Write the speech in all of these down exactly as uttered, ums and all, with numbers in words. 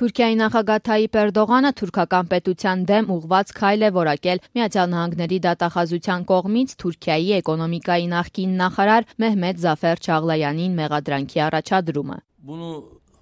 Թուրքիայի նախագահ Թայիպ Էրդողանը թուրքական պետության դեմ ուղղված քայլ է որակել Միացյալ Նահանգների դատախազության կողմից Թուրքիայի էկոնոմիկայի նախկին նախարար Մեհմեդ Զաֆեր Çağlayan'in մեղադրանքի առաջադրումը. Bunu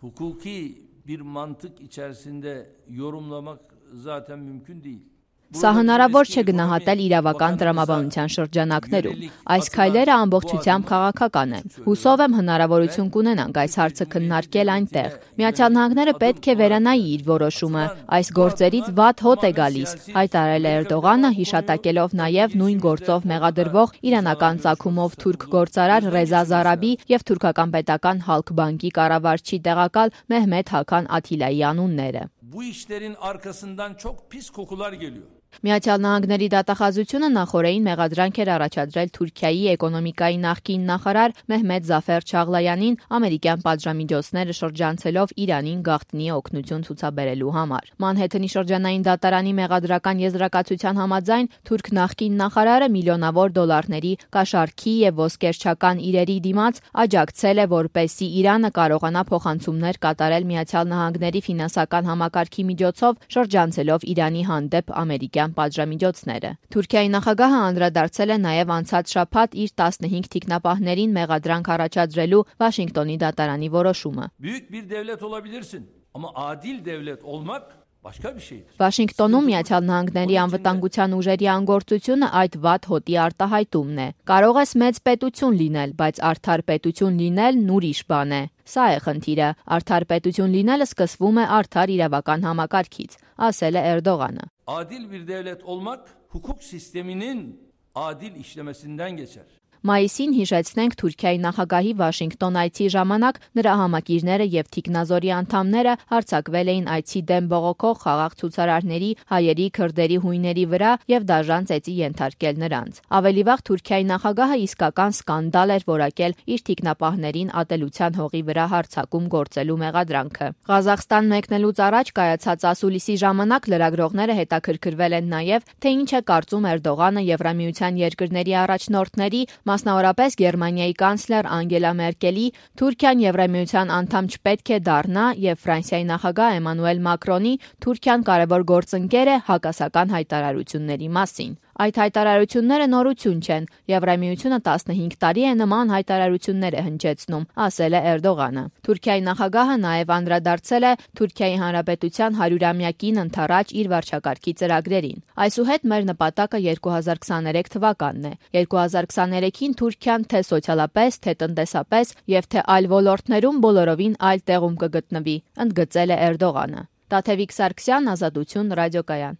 hukuki bir mantık içerisinde yorumlamak zaten mümkün değil. Սա հնարավոր չէ գնահատել իրավական տրամաբանության շրջանակներում։ Այս քայլերը ամբողջությամբ քաղաքական են։ Հուսով եմ հնարավորություն կունենանք այս հարցը քննարկել այնտեղ։ Միացյալ Նահանգները պետք է վերանայի իր որոշումը։ Այս գործերից վատ հոտ է գալիս, հայտարարել է Էրդողանը, հիշատակելով նաև նույն գործով մեղադրվող իրանական ծագումով թուրք գործարար Ռեզա Զարաբի եւ թուրքական պետական Halkbankի կառավարչի տեղակալ Մեհմեդ Հական Աթիլայի անունները։ Bu işlerin arkasından çok pis kokular geliyor. Միացյալ Նահանգների դատախազությունը նախորդին մեղադրանք էր առաջադրել Թուրքիայի էկոնոմիկայի նախկին նախարար Մեհմեդ Զաֆեր Çağlayan'in ամերիկյան պատժամիջոցները շրջանցելով Իրանին գաղտնի օգնություն ցուցաբերելու համար։ Մանհեթենի շրջանային դատարանի մեղադրական եզրակացության համաձայն թուրք նախկին նախարարը միլիոնավոր դոլարների կաշառքի եւ ոսկերչական իրերի դիմաց աջակցել է, որպեսզի Իրանը կարողանա փոխանցումներ կատարել Միացյալ Նահանգների ֆինանսական համակարգի միջոցով շրջանցելով Իրանի հանդեպ ամերիկյան պատժամիջոցները։ Թուրքիայի նախագահը անդրադարձել է նաև անցած շաբաթ իր տասնհինգ թիկնապահներին մեղադրանք առաջադրելու Վաշինգտոնի դատարանի որոշումը։ Büyük bir devlet olabilirsin, ama adil devlet olmak başka bir şeydir. Վաշինգտոնում Միացյալ Նահանգների անվտանգության ուժերի անգործությունը այդ վատ հոտի արտահայտումն է։ Կարող ես մեծ պետություն լինել, բայց արդար պետություն լինելն ուրիշ բան է։ Սա է խնդիրը։ Արդար պետություն լինելը սկսվում է արդար իրավական համակարգից, ասել է Էրդողանը։ Adil bir devlet olmak hukuk sisteminin adil işlemesinden geçer. Մայիսին հիշեցնենք Թուրքիայի նախագահի Վաշինգտոն այցի ժամանակ նրա համակիրները եւ թիկնազորի անդամները հարձակվել էին այցի դեմ բողոքող խաղաղ ցուցարարների, հայերի, քրդերի, հույների վրա եւ դաժան ծեծի ենթարկել նրանց։ Ավելի վաղ Թուրքիայի նախագահը իսկական սկանդալ էր որակել իր թիկնապահներին ատելության հողի վրա հարձակում գործելու մեղադրանքը։ Ղազախստան մեկնելուց առաջ կայացած ասուլիսի ժամանակ լրագրողները հետաքրքրվել են նաեւ, թե ինչ է կարծում Էրդողանը Եվրամիության երկրների առաջնորդների, մասնավորապես Գերմանիայի կանցլեր Անգելա Մերկելի, Թուրքիան Եվրամիության անդամ չպետք է դառնա եւ Ֆրանսիայի նախագահ Էմանուել Մակրոնի Թուրքիան կարևոր գործընկեր է հակասական հայտարարությունների մասին։ Այդ հայտարարությունները նորություն չեն։ Եվրամիությունը տասնհինգ տարի է նման հայտարարություններ է հնչեցնում, ասել է Էրդողանը։ Թուրքիայի նախագահը նաև անդրադարձել է Թուրքիայի Հանրապետության հարյուրամյակին ընթառաջ իր վարչակարգի ծրագրերին։ Այսուհետ մեր նպատակը երկու հազար քսաներեք թվականն է։ երկու հազար քսաներեքին Թուրքիան թե սոցիալապես, թե տնտեսապես եւ թե այլ ոլորտներում բոլորովին այլ տեղում կգտնվի, ընդգծել է Էրդողանը։ Տաթևիկ Սարգսյան, Ազատություն, ռադիոկայան։